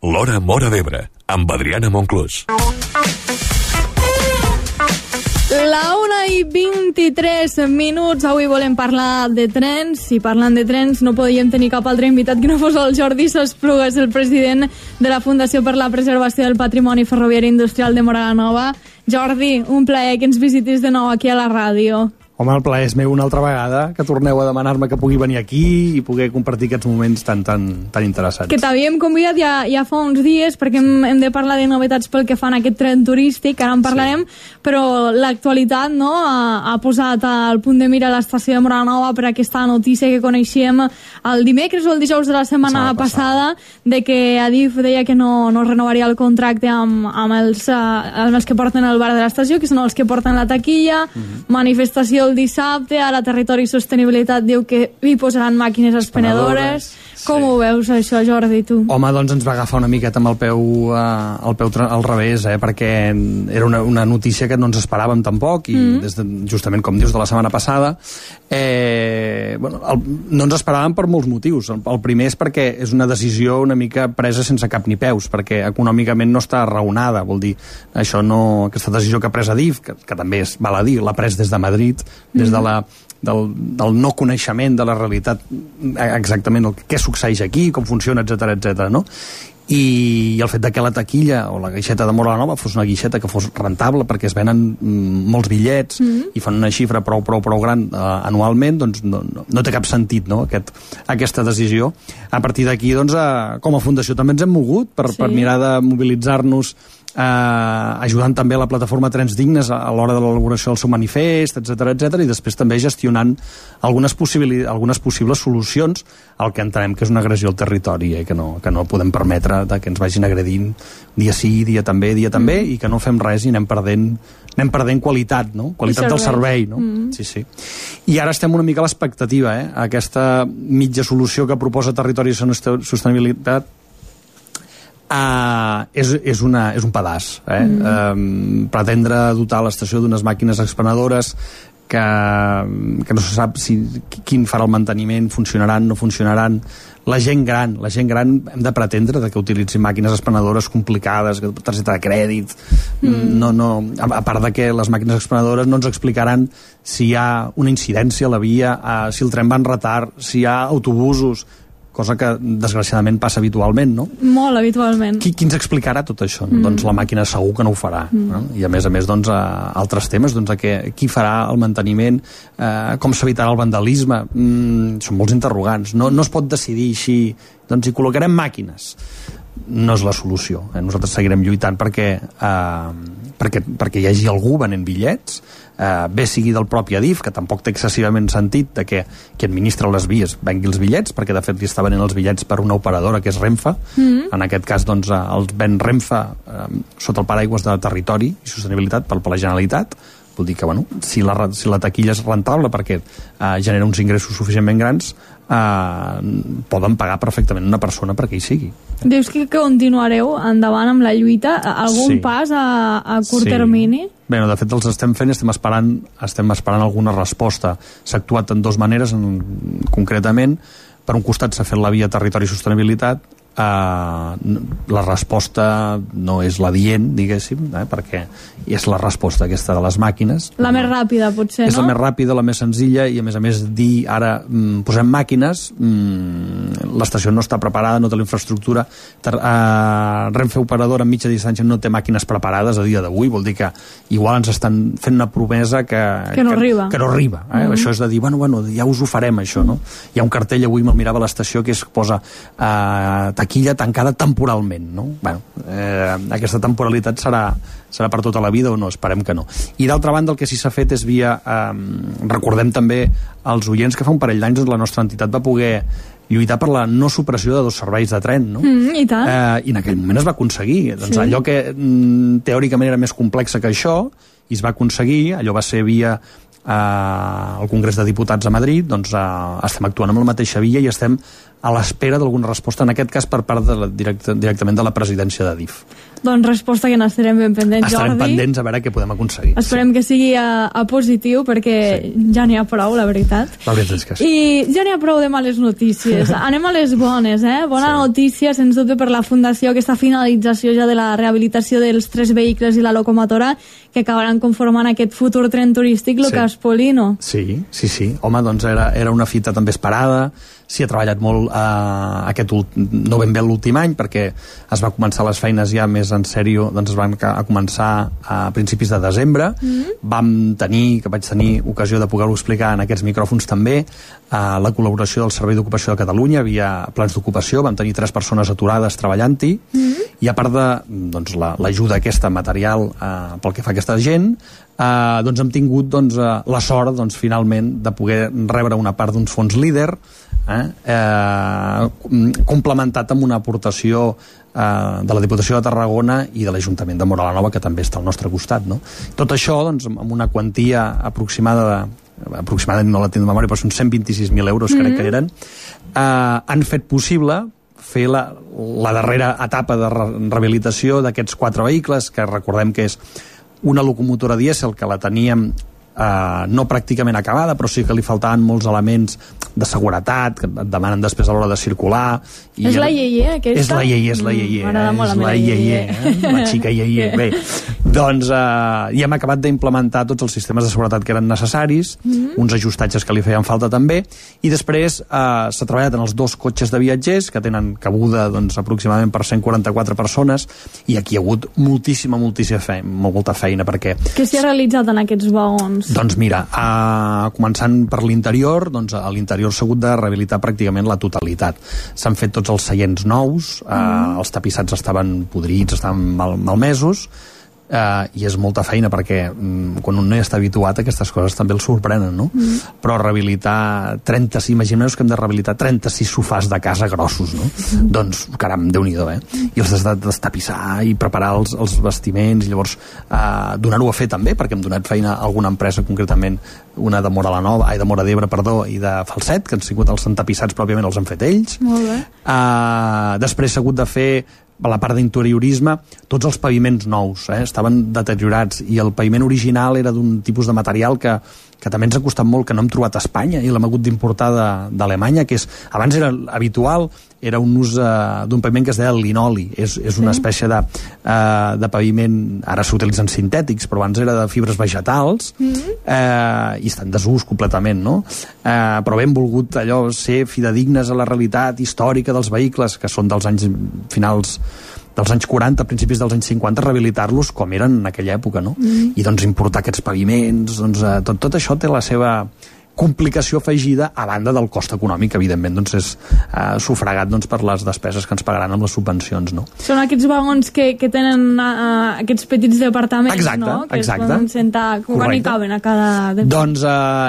L'Hora Móra d'Ebre, amb Adriana Monclús. La 1:23. Avui volem parlar de trens, i parlant de trens no podíem tenir cap altre invitat que no fos el Jordi Sosplugas, el president de la Fundació per la Preservació del Patrimoni Ferroviari Industrial de Móra la Nova. Jordi, un plaer que ens visitis de nou aquí a la ràdio. Home, el plaer és meu una altra vegada, que torneu a demanar-me que pugui venir aquí i poder compartir aquests moments tan interessants. Que t'havíem convidat ja fa uns dies, perquè hem de parlar de novetats pel que fan a aquest tren turístic, ara en parlarem, però l'actualitat ha posat al punt de mira l'estació de Móra la Nova per aquesta notícia que coneixíem el dimecres o el dijous de la setmana passada, de que Adif deia que no renovaria el contracte amb els que porten el bar de l'estació, que són els que porten la taquilla, manifestació el dissabte, ara Territori i Sostenibilitat diu que hi posaran màquines expenedores. Com ho veus això, Jordi, tu? Home, doncs ens va agafar una miqueta amb el peu al revés, perquè era una notícia que no ens esperàvem tampoc, i justament com dius de la setmana passada, no ens esperàvem per molts motius. El primer és perquè és una decisió una mica presa sense cap ni peus, perquè econòmicament no està raonada, vol dir, aquesta decisió que ha pres Adif, que també val a dir, l'ha pres des de Madrid, des de del no coneixement de la realitat, exactament què succeeix aquí, com funciona, etc, no? I el fet que la taquilla o la guixeta de Móra la Nova fos una guixeta que fos rentable, perquè es venen molts bitllets i fan una xifra prou gran anualment, doncs no té cap sentit, no? Aquesta decisió. A partir d'aquí, doncs, com a fundació també ens hem mogut per mirar de mobilitzar-nos, ajudant també a la plataforma Trens Dignes a l'hora de l'elaboració del seu manifest, etc, i després també gestionant algunes possibles solucions al que entenem que és una agressió al territori, que no podem permetre que ens vagin agredint dia sí, dia també, i que no fem res i anem perdent qualitat, no? Qualitat del servei, no? Sí. I ara estem una mica a l'expectativa, aquesta mitja solució que proposa Territori i Sostenibilitat és un pedaç, pretendre dotar l'estació d'unes màquines expenedores que no se sap quin farà el manteniment, funcionaran, no funcionaran. La gent gran hem de pretendre que utilitzin màquines expenedores complicades, targeta de crèdit, a part de que les màquines expenedores no ens explicaran si hi ha una incidència a la via, si el tren va en retard, si hi ha autobusos, cosa que desgraciadament passa habitualment, no? Molt habitualment. Qui ens explicarà tot això? Doncs la màquina segur que no ho farà. No? I a més, doncs, altres temes, doncs, qui farà el manteniment, com s'evitarà el vandalisme, són molts interrogants. No es pot decidir així, doncs hi col·locarem màquines. No és la solució. Nosaltres seguirem lluitant perquè hi hagi algú venent bitllets, bé sigui del propi Adif, que tampoc té excessivament sentit de que qui administra les vies vengui els bitllets, perquè de fet li està venent els bitllets per una operadora que és Renfe. En aquest cas, doncs, els ven Renfe sota el paraigües de Territori i Sostenibilitat per la Generalitat. Vol dir que, si la taquilla és rentable perquè genera uns ingressos suficientment grans, poden pagar perfectament una persona perquè hi sigui. Dius que continuareu endavant amb la lluita? Algun pas a curt termini? Bé, de fet els estem fent, estem esperant alguna resposta. S'ha actuat en dues maneres, concretament. Per un costat s'ha fet la via Territori i Sostenibilitat. La resposta no és l'adient, diguéssim, perquè és la resposta aquesta de les màquines. La més ràpida, potser, no? És la més ràpida, la més senzilla, i a més dir ara posem màquines, l'estació no està preparada, no té la infraestructura, Renfe operadora en mitja distància no té màquines preparades a dia d'avui, vol dir que igual ens estan fent una promesa que no arriba. Això és de dir, ja us ho farem, això, no? Hi ha un cartell, avui me'l mirava a l'estació, que es posa taquilla tancada temporalment, no? Aquesta temporalitat serà per tota la vida o no? Esperem que no. I d'altra banda, el que sí s'ha fet és via... recordem també als oients que fa un parell d'anys la nostra entitat va poder lluitar per la no supressió de 2 serveis de tren, no? I tant. I en aquell moment es va aconseguir. Doncs allò que teòricament era més complex que això, i es va aconseguir, allò va ser via al Congrés de Diputats a Madrid, doncs estem actuant amb la mateixa via i estem a l'espera d'alguna resposta, en aquest cas per part directament de la presidència de DIF. Doncs resposta que n'estarem ben pendents, Jordi. Estarem pendents a veure què podem aconseguir. Esperem que sigui a positiu, perquè ja n'hi ha prou, la veritat. La veritat és que sí. I ja n'hi ha prou de males notícies. Anem a les bones, Bona notícia, sens dubte, per la Fundació, aquesta finalització ja de la rehabilitació dels 3 vehicles i la locomotora que acabaran conformant aquest futur tren turístic, lo Caspolino. Sí. Home, doncs era una fita també esperada. S'hi ha treballat molt no ben bé l'últim any, perquè es va començar les feines ja més en sèrio, doncs es van començar a principis de desembre. Vaig tenir ocasió de poder-ho explicar en aquests micròfons també, la col·laboració del Servei d'Ocupació de Catalunya, havia plans d'ocupació, vam tenir 3 persones aturades treballant-hi, i a part de l'ajuda aquesta material pel que fa a aquesta gent, doncs hem tingut la sort finalment de poder rebre una part d'uns fons líder, complementat amb una aportació de la Diputació de Tarragona i de l'Ajuntament de Móra la Nova, que també està al nostre costat, no? Tot això amb una quantia aproximadament no la tinc de memòria, però són 126.000 euros, crec que eren, han fet possible fer la darrera etapa de rehabilitació d'aquests 4 vehicles, que recordem que és una locomotora dièsel que la teníem no pràcticament acabada, però sí que li faltaven molts elements de seguretat que et demanen després a l'hora de circular. És la Yeye, aquesta? És la Yeye. M'agrada molt la meva Yeye. La xica Yeye. Bé, doncs ja hem acabat d'implementar tots els sistemes de seguretat que eren necessaris, uns ajustatges que li feien falta també, i després s'ha treballat en els 2 cotxes de viatgers, que tenen cabuda aproximadament per 144 persones, i aquí hi ha hagut molta feina, perquè... Què s'hi ha realitzat en aquests vagons? Doncs mira, començant per l'interior, a l'interior s'ha hagut de rehabilitar pràcticament la totalitat. S'han fet tots els seients nous, els tapissats estaven podrits, estaven malmesos, i és molta feina, perquè quan un no hi està habituat aquestes coses també el sorprenen, no? Però rehabilitar 36, imagineu que hem de rehabilitar 36 sofàs de casa grossos, no? Doncs, caram, Déu-n'hi-do, i els has de destapissar i preparar els vestiments, i llavors donar-ho a fer també, perquè hem donat feina a alguna empresa, concretament una de Móra la Nova, de Móra d'Ebre, perdó, i de Falset, que han sigut els entapissats, pròpiament els han fet ells. Molt bé. Després s'ha hagut de fer a la part d'interiorisme, tots els paviments nous estaven deteriorats, i el paviment original era d'un tipus de material que també ens ha costat molt, que no hem trobat a Espanya i l'hem hagut d'importar d'Alemanya, que abans era habitual, era un ús d'un paviment que es deia linoli, és una espècie de paviment, ara s'utilitzen sintètics, però abans era de fibres vegetals, i està en desús completament, no? Però hem volgut ser fidedignes a la realitat històrica dels vehicles, que són dels anys finals dels anys 40, principis dels anys 50, rehabilitar-los com eren en aquella època, no? I doncs importar aquests paviments, tot això té la seva complicació afegida, a banda del cost econòmic, evidentment, és sufragat per les despeses que ens pagaran amb les subvencions, no? Són aquests vagons que tenen aquests petits departaments, no? Que es poden sentar, quan hi caben a cada... Doncs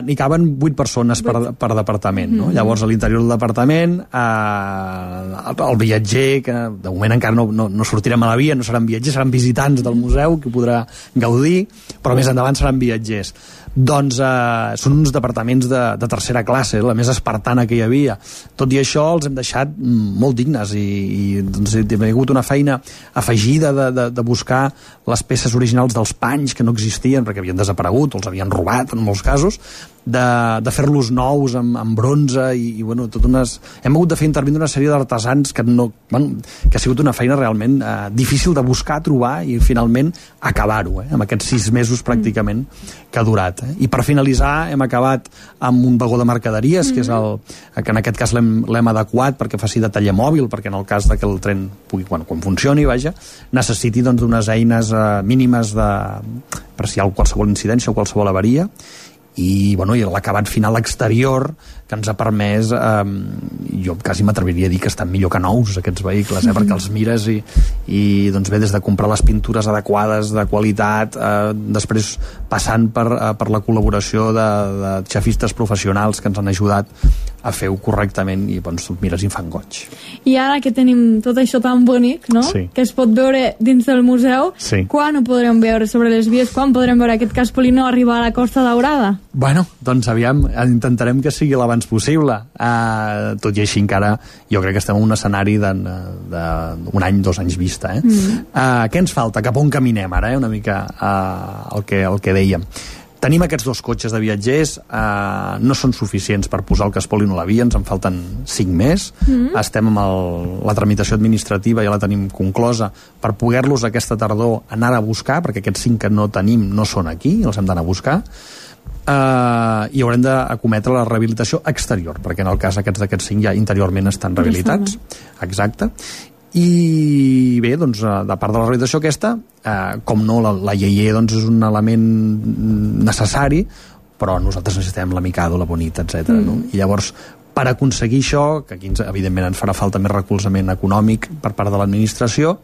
n'hi caben 8 persones per departament, no? Llavors, a l'interior del departament, el viatger, que de moment encara no sortirem a la via, no seran viatgers, seran visitants del museu, que podrà gaudir, però més endavant seran viatgers. Doncs són uns departaments de tercera classe, la més espartana que hi havia. Tot i això els hem deixat molt dignes, i doncs, hi ha hagut una feina afegida de buscar les peces originals dels panys que no existien perquè havien desaparegut o els havien robat en molts casos, de fer-los nous amb bronze, i bueno, hem hagut de fer intervenir una sèrie d'artesans que ha sigut una feina realment difícil de buscar, trobar i finalment acabar-ho, amb aquests 6 mesos pràcticament que ha durat. I per finalitzar hem acabat amb un vagó de mercaderies, que és que en aquest cas l'hem adequat perquè faci de taller mòbil, perquè en el cas que el tren pugui, quan funcioni, necessiti d'unes eines mínimes per si hi ha qualsevol incidència o qualsevol avaria, i l'acabat final exterior que ens ha permès, jo quasi m'atreviria a dir que estan millor que nous aquests vehicles, perquè els mires i doncs bé, des de comprar les pintures adequades, de qualitat, després passant per la col·laboració de xefistes professionals que ens han ajudat a fer-ho correctament, i doncs tu mires i fan goig. I ara que tenim tot això tan bonic, no? Sí. Que es pot veure dins del museu, quan ho podrem veure sobre les vies, quan podrem veure aquest Caspolino arribar a la Costa Daurada? Bueno, doncs aviam, intentarem que sigui l'abans possible. Tot i així encara jo crec que estem en un escenari d'un any, 2 anys vista. Què ens falta? Cap on caminem ara? Una mica el que dèiem. Tenim aquests 2 cotxes de viatgers, no són suficients per posar el que es polin a la via, ens en falten 5 més. Estem amb la tramitació administrativa, ja la tenim conclosa, per poder-los aquesta tardor anar a buscar, perquè aquests 5 que no tenim no són aquí, els hem d'anar a buscar. I haurem d'acometre la rehabilitació exterior, perquè en el cas d'aquests 5 ja interiorment estan rehabilitats. Exacte. I bé, doncs, de part de la rehabilitació aquesta, com no, la IEE doncs, és un element necessari, però nosaltres necessitem la Mikado, la Bonita, etc. No? I llavors, per aconseguir això, que aquí evidentment ens farà falta més recolzament econòmic per part de l'administració,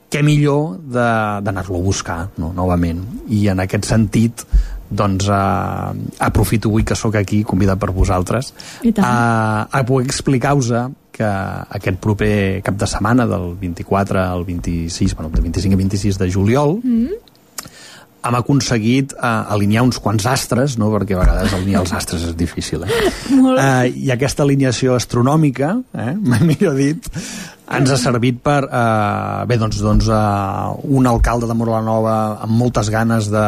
què millor d'anar-lo a buscar, no? Novament. I en aquest sentit, doncs aprofito avui que sóc aquí, convidat per vosaltres, a poder explicar-vos que aquest proper cap de setmana, del 24 al 26, del 25 al 26 de juliol, hem aconseguit alinear uns quants astres, no? Perquè a vegades alinear els astres és difícil. I aquesta alineació astronòmica, mai millor dit, ens ha servit per un alcalde de Móra la Nova amb moltes ganes de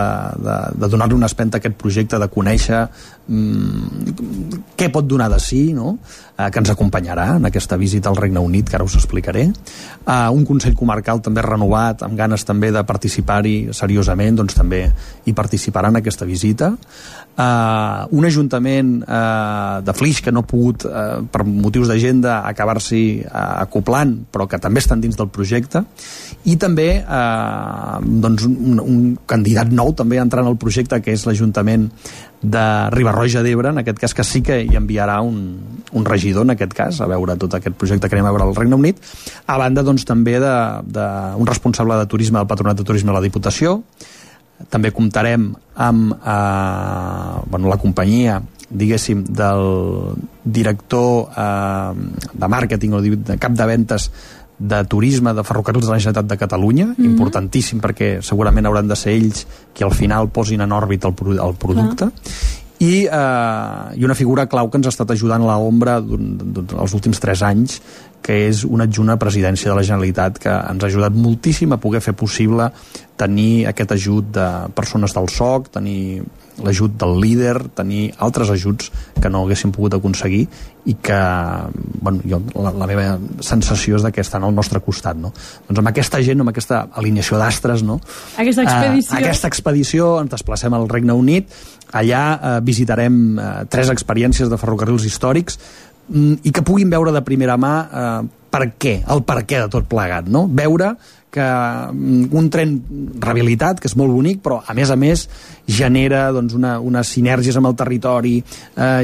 donar-li una espenta a aquest projecte, de conèixer què pot donar de si, no? Que ens acompanyarà en aquesta visita al Regne Unit, que ara us explicaré. Un Consell Comarcal també renovat, amb ganes també de participar-hi seriosament, doncs també hi participarà en aquesta visita. Un Ajuntament de Flix que no ha pogut, per motius d'agenda, acabar-s'hi acoplant, però que també estan dins del projecte, i també un candidat nou també entrant al projecte, que és l'Ajuntament de Riba-roja d'Ebre, en aquest cas, que sí que hi enviarà un regidor, en aquest cas, a veure tot aquest projecte que anem a veure al Regne Unit, a banda doncs també d'un responsable de turisme del Patronat de Turisme de la Diputació. També comptarem amb la companyia, diguéssim, del director de màrqueting o de cap de ventes de turisme de Ferrocarrils de la Generalitat de Catalunya, importantíssim, perquè segurament hauran de ser ells qui al final posin en òrbita el producte. I una figura clau que ens ha estat ajudant a l'ombra els últims 3 anys, que és un adjunt a presidència de la Generalitat, que ens ha ajudat moltíssim a poder fer possible tenir aquest ajut de persones del SOC, tenir l'ajut del líder, tenir altres ajuts que no haguéssim pogut aconseguir, i que la meva sensació és que estan al nostre costat, no? Doncs amb aquesta gent, amb aquesta alineació d'astres, no? Aquesta expedició ens desplacem al Regne Unit. Allà visitarem 3 experiències de ferrocarrils històrics i que puguin veure de primera mà el per què de tot plegat, no? Veure que un tren rehabilitat, que és molt bonic, però a més genera unes sinergies amb el territori,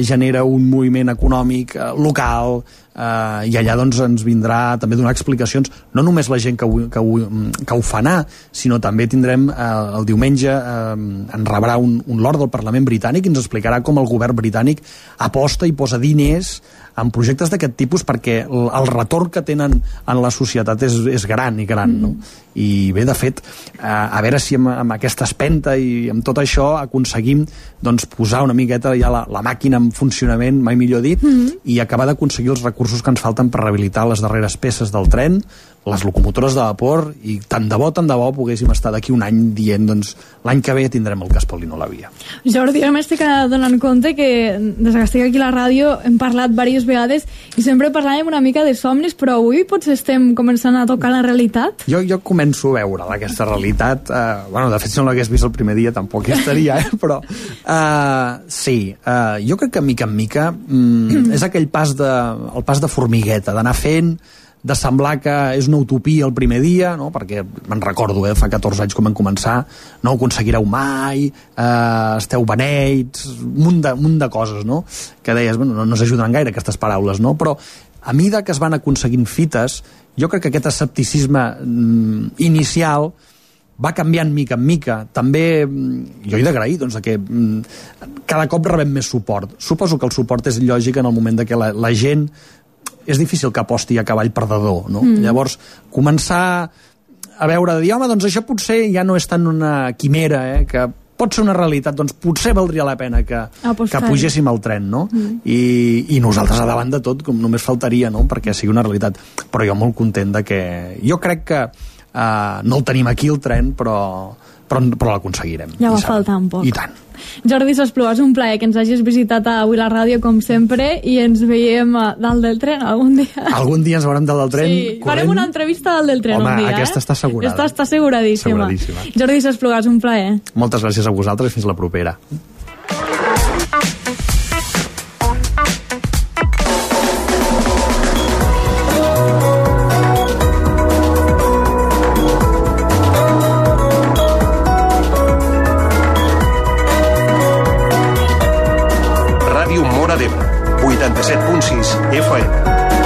genera un moviment econòmic local, i allà ens vindrà també donar explicacions, no només la gent que ho fa anar, sinó també tindrem el diumenge, en rebrà un lord del Parlament britànic i ens explicarà com el govern britànic aposta i posa diners en projectes d'aquest tipus, perquè el retorn que tenen en la societat és gran, no? I bé, de fet, a veure si amb aquesta espenta i amb tot això aconseguim posar una miqueta ja la màquina en funcionament, mai millor dit, i acabar d'aconseguir els recursos que ens falten per rehabilitar les darreres peces del tren, les locomotores de vapor, i tant de bo poguéssim estar d'aquí un any dient l'any que ve tindrem el que es polino a la via. Jordi, jo m'estic donant compte que des que estic aquí a la ràdio hem parlat diverses vegades i sempre parlàvem una mica de somnis, però avui potser estem començant a tocar la realitat. Jo començo a veure aquesta realitat. De fet, si no l'hagués vist el primer dia tampoc hi estaria, però sí, jo crec que mica en mica és aquell pas de formigueta, d'anar fent, de semblar que és una utopia el primer dia, no? Perquè me'n recordo, fa 14 anys com vam començar, no ho aconseguireu mai, esteu beneits, un munt de coses, no? Que deies, no s'ajuden gaire aquestes paraules, no? Però a mesura que es van aconseguint fites, jo crec que aquest escepticisme inicial va canviant mica en mica. També jo he d'agrair que cada cop rebem més suport. Suposo que el suport és lògic en el moment que la gent és difícil que aposti a cavall perdedor, no? Llavors, començar a veure, dir, home, això potser ja no és tant una quimera, que pot ser una realitat, doncs potser valdria la pena que pugéssim al tren, no? I nosaltres a davant de tot, com només faltaria, no?, perquè sigui una realitat. Però jo molt content de que... Jo crec que no el tenim aquí, el tren, però l'aconseguirem. Ja va faltant poc. I tant. Jordi Sesplú, és un plaer que ens hagis visitat avui a la ràdio, com sempre, i ens veiem dalt del tren algun dia. Algun dia ens veurem dalt del tren, sí, corrent. Farem una entrevista dalt del tren. Home, un dia, aquesta està assegurada. Aquesta està asseguradíssima. Jordi Sesplú, és un plaer. Moltes gràcies a vosaltres i fins la propera. Ràdio Móra d'Ebre, 87.6 FM.